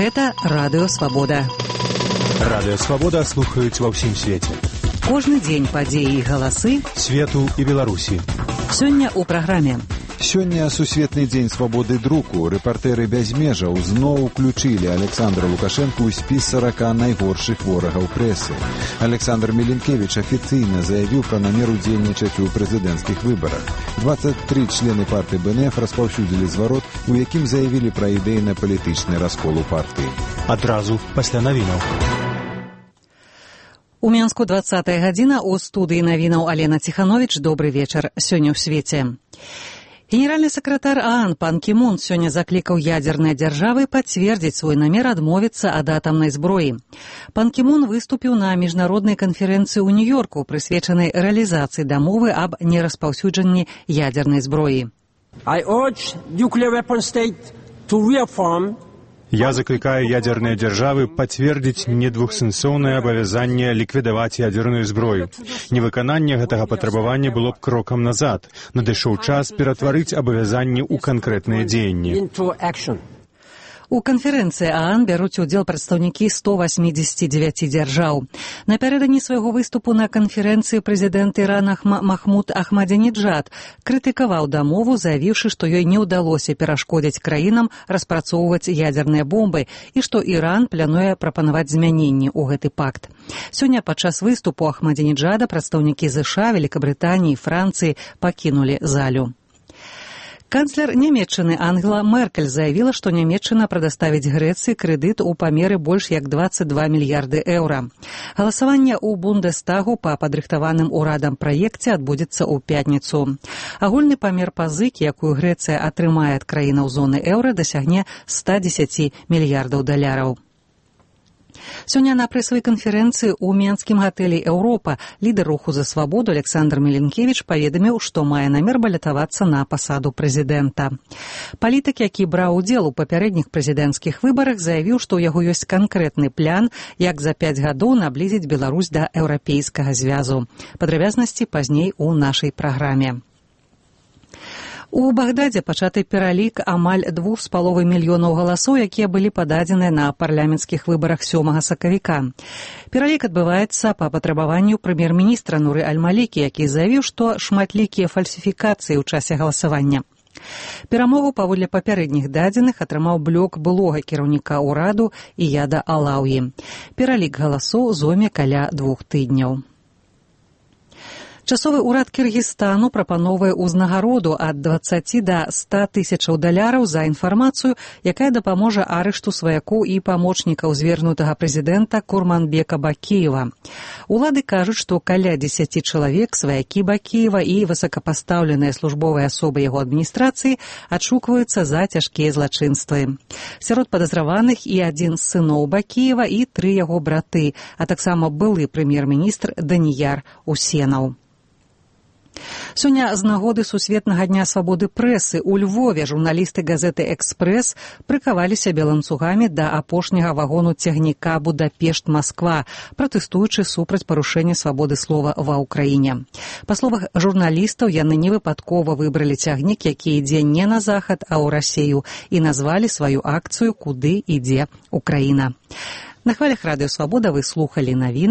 Гэта Радыё Свабода. Радыё Свабода слухаюць ва ўсім свеце. Кожны дзень падзеі і галасы свету і Беларусі. Сёння ў праграме. Сёння сусветны дзень свабоды друку. Рэпартэры без межаў зноў уключылі Александра Лукашэнку ў спіс 40 найгоршых ворагаў прэсы. Александр Меленкевіч афіцыйна заявіў пра намер удзельнічаць у прэзідэнцкіх выбарах. 23 члены партыі БНФ распаўсюдзілі зварот, у якім заявілі пра ідэйна-палітычны раскол у партыі. Адразу пасля навінаў. У Мінску 20-я гадзіна, у студыі навінаў Алена Ціхановіч. Добры вечар. Сёння ў свеце. Генеральны сакратар ААН пан Кі Мун сёння заклікаў ядзерныя дзяржавы пацвердзіць свой намер адмовіцца ад атамнай зброі. Пан Кі Мун выступіў на міжнароднай канферэнцыі ў Нью-Йорку, прысвечанай рэалізацыі дамовы аб нераспаўсюджанні ядзернай зброі. Я закликаю ядерные державы подтвердить недвухсэнсоўнае абавязанне ліквідаваць ядерную зброю. Невыкананне гэтага патрабавання было б крокам назад. Надышоў час ператварыць абавязанні ў канкрэтныя дзеянні. У канферэнцыі ААН бяруць удзел прадстаўнікі 189 дзяржаў. Напярэдадні свайго выступу на канферэнцыі прэзідэнт Ірана Махмуд Ахмадзінеджад крытыкаваў дамову, заявіўшы, што ёй не ўдалося перашкодзіць краінам распрацоўваць ядзерныя бомбы і што Іран плануе прапанаваць змяненні ў гэты пакт. Сёння падчас выступу Ахмадзінеджада прадстаўнікі ЗША, Великабрытаніі і Францыі пакінулі залю. Канцлер Нямецчыны Ангела Меркель заявіла, што Нямецчына прадаставіць Грэцыі крэдыт у памеры больш як 22 мільярды еўра. Галасаванне ў Бундестагу па падрыхтаваным урадам праекце адбудзецца ў пятніцу. Агульны памер пазыкі, якую Грэцыя атрымае ад краінаў зоны еўра, дасягне 110 мільярдаў даляраў. Сёння на прэсавай канферэнцыі ў менскім гатэлі «Еўропа» лідар руху за свабоду Александр Меленкевіч паведаміў, што мае намер балятавацца на пасаду прэзідэнта. Палітык, які браў удзел у папярэдніх прэзідэнцкіх выбарах, заявіў, што ў яго ёсць канкрэтны план, як за 5 гадоў наблізіць Беларусь да еўрапейскага звязу. Падрабязнасці пазней у нашай праграме. У Багдадзе пачаты пералік амаль 2,5 мільёнаў галасоў, якія былі пададзеныя на парламенцкіх выбарах 7 сакавіка. Пералік адбываецца па патрабаванню прэм'ер-міністра Нуры Аль-Малікі, які заявіў, што шматлікія фальсіфікацыі ў часе галасавання. Перамогу паводле папярэдніх дадзеных атрымаў блок былога кіраўніка ўраду Ияда Алаўі. Пералік галасоў зойме каля 2 тыдняў. Часовы ўрад Кіргізстану прапановвае ўзнагароду ад 20 да 100 тысячаў даляраў за інфармацыю, якая дапаможа арышту сваякоў і памочнікаў звернутага прэзідэнта Курманбека Бакіева. Улады кажуць, што каля 10 чалавек, сваякі Бакіева і высокапастаўленыя службовыя асобы яго адміністрацыі адшукваюцца за цяжкія злачынствы. Сярод падазраваных і адзін з сыноў Бакіева і 3 яго браты, а таксама былы прэм'ер-міністр Даніяр Усенаў. Сёння з нагоды сусветнага дня свабоды прэсы ў Львове журналісты газеты «Экспрэс» прыкаваліся ланцугамі да апошняга вагону цягніка Будапешт-Масква, пратэстуючы супраць парушэння свабоды слова ва ўкраіне. Па словах журналістаў, яны невыпадкова выбралі цягнік, які ідзе не на захад, а ў Расею, і назвалі сваю акцыю «Куды ідзе Украіна». На хвалях Радыё Свабода вы слухалі навіны.